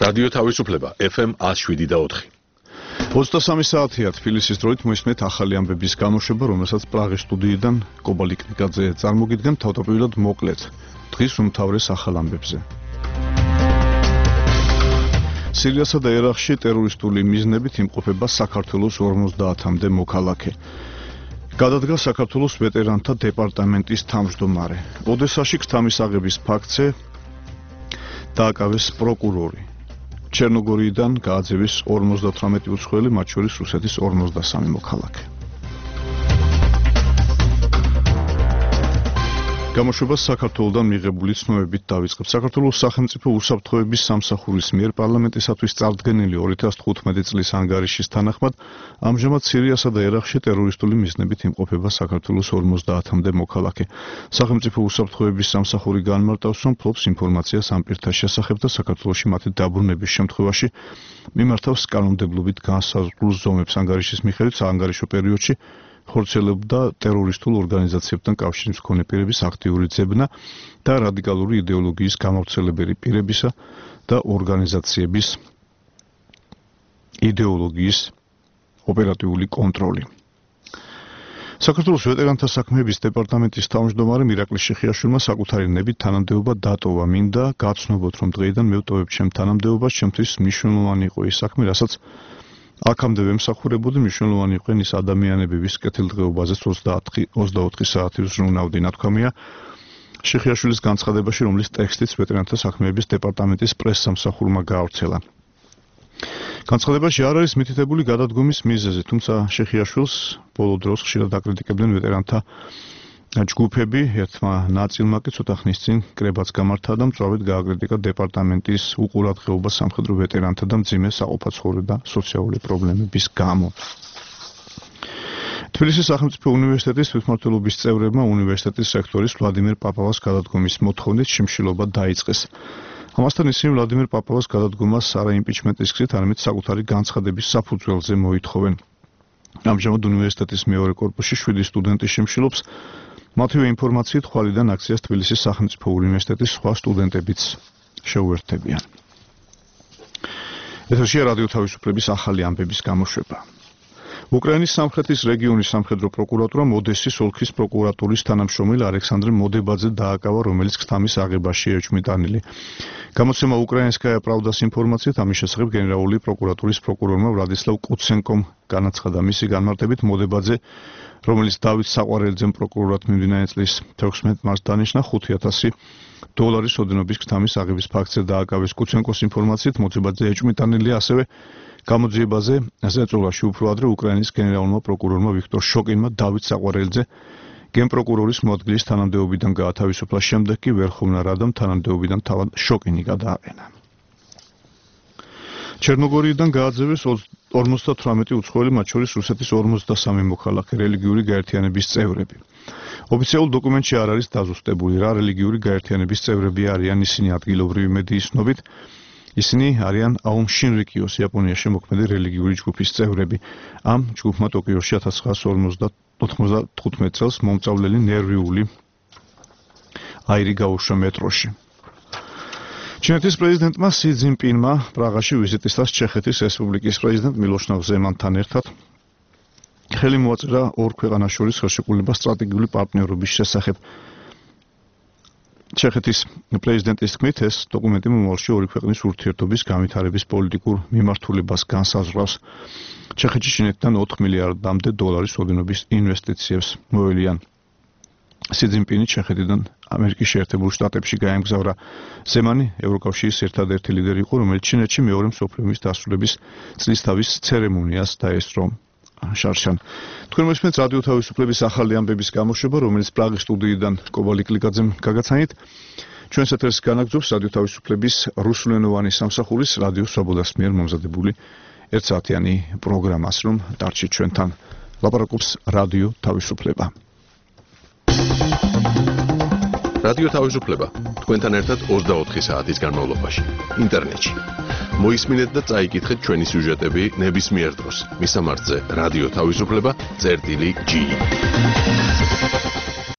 რადიო თავისუფლება FM 107.4. 23 საათია თბილისის დროით მოისმენთ ახალი ამბების გამოშვება, რომელსაც პრაღის სტუდიიდან კობალი კნიკაძე წარმოგიდგენ თავდაპირველად მოკლედ დღის უმთავრეს ახალ ამბებზე. სირიასა და ერაყში ტერორისტული მიზნებით იმყოფება საქართველოს 50-მდე მოქალაქე. გადადგა საქართველოს ვეტერანთა დეპარტამენტის თავმჯდომარე. ოდესაში ქთამის აღების ფაქტზე დააკავეს პროკურორი. ჩერნოგორიიდან გააძევეს 58 უცხოელი, მათ შორის რუსეთის 53 მოქალაქე. გამოშვებას საქართველოსთან მიღებული ცნობებით დავიწყებთ. საქართველოს სახელმწიფო უსაფრთხოების სამსახურის მიერ პარლამენტისათვის წარდგენილი 2015 წლის ანგარიშის თანახმად ამჟამად სირიასა და ერაყში ტერორისტული მიზნებით იმყოფება საქართველოს 50-მდე მოქალაქე. სახელმწიფო უსაფრთხოების სამსახური განმარტავს, რომ ფლობს ინფორმაციას ამ პირთა შესახებ და საქართველოში მათი დაბრუნების შემთხვევაში მიმართავს კანონმდებლობით განსაზღვრულ ზომებს. ანგარიშის მიხედვით საანგარიშო პერიოდში ხორციელებდა ტერორისტულ ორგანიზაციებთან კავშირის მქონე პირების აქტიური ძებნა და რადიკალური იდეოლოგიის გამავრცელებელი პირებისა და ორგანიზაციების იდეოლოგიის ოპერატიული კონტროლი. საქართველოს ვეტერანთა საქმეების დეპარტამენტის თავმჯდომარემ ირაკლი შიხიაშვილმა საკუთარი ნებით თანამდებობა დატოვა. მინდა გაცნობოთ, რომ დღეიდან მე ვტოვებ ჩემ თანამდებობას, ჩემთვის მნიშვნელოვანი იყო ის საქმე, რასაც აქამდე ვემსახურებოდი. მნიშვნელოვანი იყვნენ ის ადამიანები, ვის კეთილდღეობაზე 24 საათი ზრუნავდი, ნათქვამია შიხიაშვილის განცხადებაში, რომლის ტექსტიც ვეტერანთა საქმეების დეპარტამენტის პრესსამსახურმა გაავრცელა. განცხადებაში არ არის მითითებული გადადგომის მიზეზი, თუმცა შიხიაშვილს ბოლო დროს ხშირად აკრიტიკებდნენ ვეტერანთა ჯგუფები, ერთმა ნაწილმა კი ცოტა ხნის წინ კრებაც გამართა და მწვავედ გააკრიტიკა დეპარტამენტის უყურადღეობა სამხედრო ვეტერანთა და მძიმე საყოფაცხოვრებო და სოციალური პრობლემების გამო. თბილისის სახელმწიფო უნივერსიტეტის თვითმმართველობის წევრებმა უნივერსიტეტის რექტორის ვლადიმერ პაპავას გადადგომის მოთხოვნით შიმშილობა დაიწყეს. ამასთან ისინი ვლადიმერ პაპავას გადადგომას არა იმპიჩმენტის გზით, არამედ საკუთარი განცხადების საფუძველზე მოითხოვენ. ამჟამად უნივერსიტეტის მეორე კორპუსში 7 სტუდენტი შიმშილობს. მათივე ინფორმაციით ხვალიდან აქციას თბილისის სახელმწიფო უნივერსიტეტის სხვა სტუდენტებიც შეუერთდებიან. ეთერშია რადიო თავისუფლების ახალი ამბების გამოშვება. უკრაინის სამხრეთის რეგიონის სამხედრო პროკურატურამ ოდესის ოლქის პროკურატურის თანამშრომელ ალექსანდრე მოდებაძე დააკავა, რომელიც ქთამის აღებაში ეჭვმიტანილი. გამოცემა უკრაინსკაია პრავდას ინფორმაციით ამის შესახებ გენერალური პროკურატურის პროკურორმა ვლადისლავ კუცენკომ განაცხადა. მისი განმარტებით მოდებაძე, რომელიც დავით საყვარელიძემ პროკურორად მიმდინარე წლის 16 მარტს დანიშნა, $5,000 ოდენობის ქთამის აღების ფაქტზე დააკავეს. კუცენკოს ინფორმაციით მოდებაძე ეჭვმიტანილია, ასევე გამოძიებაზე ზეწოლაში უფრო ადრე უკრაინის გენერალურმა პროკურორმა ვიქტორ შოკინმა დავით საყვარელიძე გენპროკურორის მოადგილის თანამდებობიდან გაათავისუფლა, შემდეგ კი ვერხოვნა რადამ თანამდებობიდან თავად შოკინი გადააყენა. ჩერნოგორიიდან გააძევეს 58 უცხოელი, მათ შორის რუსეთის 53 მოქალაქე, რელიგიური გაერთიანების წევრები. ოფიციალურ დოკუმენტში არ არის დაზუსტებული, რა რელიგიური გაერთიანების წევრები არიან. ისინი ადგილობრივი მედიის ცნობით ისინი არიან აუმ შინრიკიოს იაპონიაში მოქმედი რელიგიური ჯგუფის წევრები. ამ ჯგუფმა ტოკიოში 1995 წელს მომწავლელი ნერვიული აირი გაუშვა მეტროში. ჩინეთის პრეზიდენტმა სი ძინპინმა პრაღაში ვიზიტისას ჩეხეთის რესპუბლიკის პრეზიდენტ მილოშნავ ზემანთან ერთად ხელი მოაწერა ორ ქვეყანას შორის ხელშეკრულება სტრატეგიული პარტნიორობის შესახებ. ჩეხეთის პრეზიდენტის თქმით, ეს დოკუმენტი მომავალში ორი ქვეყნის ურთიერთობის განვითარების პოლიტიკურ მიმართულებას განსაზღვრავს. ჩეხეთში ჩინეთიდან $4 მილიარდამდე ოდენობის ინვესტიციებს მოელიან. სი ძინპინი ჩეხეთიდან ამერიკის შეერთებულ შტატებში გაემგზავრა. ზემანი ევროკავშირის ერთადერთი ლიდერი იყო, რომელიც ჩინეთში მეორე მსოფლიო ომის დასრულების წლისთავის ცერემონიას დაესწრო. შარშან. თქვენ მოსმენთ რადიო თავისუფლების ახალი ამბების გამოშვება, რომელიც პრაღის სტუდიიდან კობალი კნიკაძემ გაგაცანით. ჩვენს ეთერს განაგრძობს რადიო თავისუფლების რუსულენოვანი სამსახურის რადიო სვაბოდას მიერ მომზადებული ერთსაათიანი პროგრამას, რომ დარჩით ჩვენთან. ლაპარაკობს რადიო თავისუფლება. რადიო თავისუფლება თქვენთან ერთად 24 საათის განმავლობაში ინტერნეტში. მოისმინეთ და წაიკითხეთ ჩვენი სიუჟეტები ნებისმიერ დროს. მისამართზე რადიო თავისუფლება წერტილი G.